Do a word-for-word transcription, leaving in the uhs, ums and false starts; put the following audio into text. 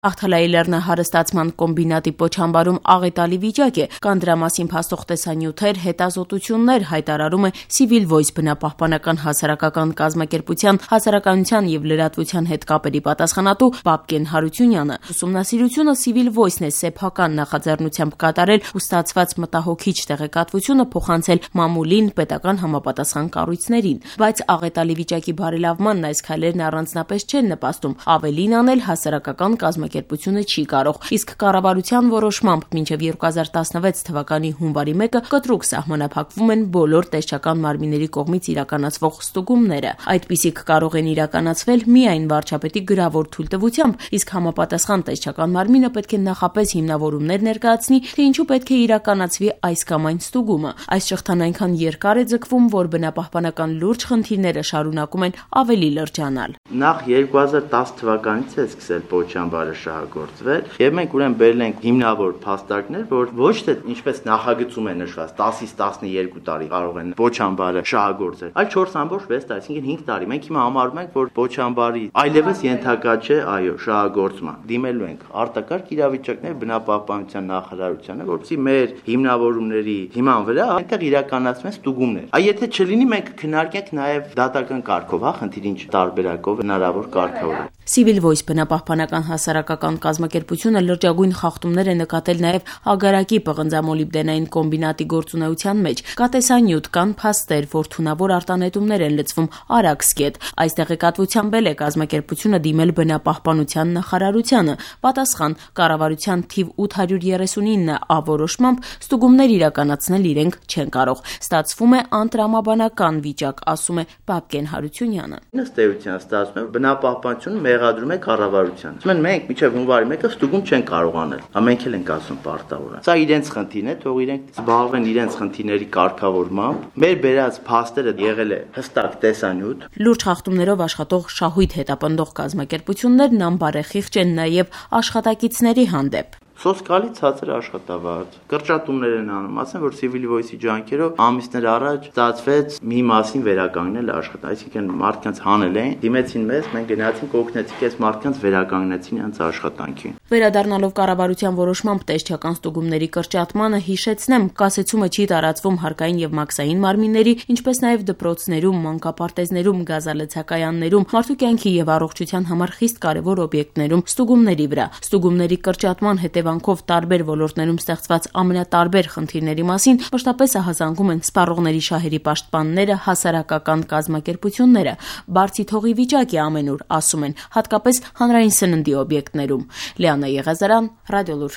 Աղթալայի լեռնահարստացման կոմբինատի պոչամբարում աղետալի վիճակ է, կան դրա մասին փաստող տեսանյութեր, հետազոտություններ, հայտարարում է Civil Voice բնապահպանական հասարակական կազմակերպության հասարակայնության եւ լրատվության հետ կապերի պատասխանատու Պապկեն Հարությունյանը։ Ուսումնասիրությունը Civil Voice-ն է սեփական նախաձեռնությամբ կատարել ու ստացված մտահոգիչ տեղեկատվությունը փոխանցել մամուլին, պետական համապատասխան կառույցներին, բայց աղետալի վիճակի բարելավմանն այս քայլերն առանձնապես չեն նպաստում, ավելին անել հասարակական կազմակերպությունը չի կարող, իսկ կառավարության որոշմամբ մինչև երկու հազար տասնվեց թվականի հունվարի մեկը կտրուկ սահմանափակվում են բոլոր տեսչական մարմինների կողմից իրականացվող ստուգումները։ Այդպիսիք կարող են իրականացվել միայն վարչապետի գրավոր թույլտվությամբ, իսկ համապատասխան տեսչական մարմինը պետք է նախապես հիմնավորումներ ներկայացնի, թե ինչու պետք է իրականացվի այս կամ այն ստուգումը։ Այս շղթան այնքան երկար է ձգվում, որ բնապահպանական լուրջ խնդիրները շարունակում են ավելի լրջանալ։ Նախ երկու հազար տասը թվականից է սկսել պոչամբարը շահագործվել, եւ մենք ուրեմն բերել ենք հիմնավոր փաստարկներ, որ ոչ թե ինչպես նախագծում է նշված տասից տասներկու տարի կարող են պոչամբարը շահագործել, այլ չորս ամբողջ վեց տարի, այսինքն հինգ տարի։ Մենք հիմա համարում ենք, որ պոչամբարի այլևս ենթակա չէ, այո, շահագործման։ Դիմելու ենք արտակարգ իրավիճակներ բնապահպանության նախարարությանը, որովհետեւ մեր հիմնավորումների հիման վրա այնտեղ իրականացվեն ստուգումներ։ Այ եթե չլինի, մենք քննարկենք նաեւ դատական կարգով, հա, խնդիրին տարբերակով հնարավոր կարգավորել։ Civil Voice բնապահպանական հասարակական կազմակերպությունը լրջագույն խախտումներ է նկատել նաև Ագարակի պղնձամոլիբդենային կոմբինատի գործունեության մեջ։ Կա տեսանյութ, կան փաստեր, որ թունավոր արտանետումներ են լցվում Արաքսկետ։ Այս տեղեկատվությամբ էլ է կազմակերպությունը դիմել բնապահպանության նախարարությանը։ Պատասխան՝ կառավարության թիվ ութ հարյուր երեսունինը Ա որոշմամբ ստուգումներ իրականացնել իրենք չեն կարող։ Ստացվում է անտրամաբանական վիճակ, ասում է Պապկեն Հարությունյանը։ Ըստ էության ստացվում է բնապահպանությունը մեղադրում է կառավարությանը։ Ասում են մենք մինչև հունվարի մեկը ստուգում չեն կարող անել։ Ամենք էլ ենք ասում պարտավոր։ Սա իրենց խնդիրն է, թող իրենք զբաղվեն իրենց խնդիրների կարգավորմամբ։ Մեր բերած փաստերը եղել է հստակ տեսանյութ։ Լուրջ խախտումներով աշխատող շահույթ հետապնդող կազմակերպություններն անբարեխիղճ են նաև աշխատակիցների հանդեպ։ Սոսկալի ցածր աշխատավարձ, կրճատումներ են անում, ասեն, որ Civil Voice-ի ջանքերով ամիսներ առաջ ստացվեց մի մասին վերականգնել աշխատանք, այսինքն մարդկանց հանել են, դիմեցին մեզ, մենք գնացինք օգնեցինք այս մարդկանց վերականգնեցին իրենց աշխատանքին։ Վերադառնալով կառավարության որոշմամբ տեսչական ստուգումների կրճատմանը, հիշեցնեմ, կասեցումը չի տարածվում հարկային եւ մաքսային մարմինների, ինչպես նաեւ դպրոցներում, մանկապարտեզներում, գազալցակայաններում, մարդու կյանքի եւ առողջության համար խիստ կարեւոր օբյեկտներում ստուգումների վրա։ Ստուգումների կրճատման հետևանքով տարբեր ոլորտներում ստեղծված ամենատարբեր խնդիրների մասին մշտապես ահազանգում են սպառողների շահերի պաշտպանները, հասարակական կազմակերպությունները։ Բարձի թողի վիճակ է ամենուր, ասում են, հատկապես հանրային սննդի օբյեկտներում։ Լիանա Եղազարյան, Ռադիոլուր։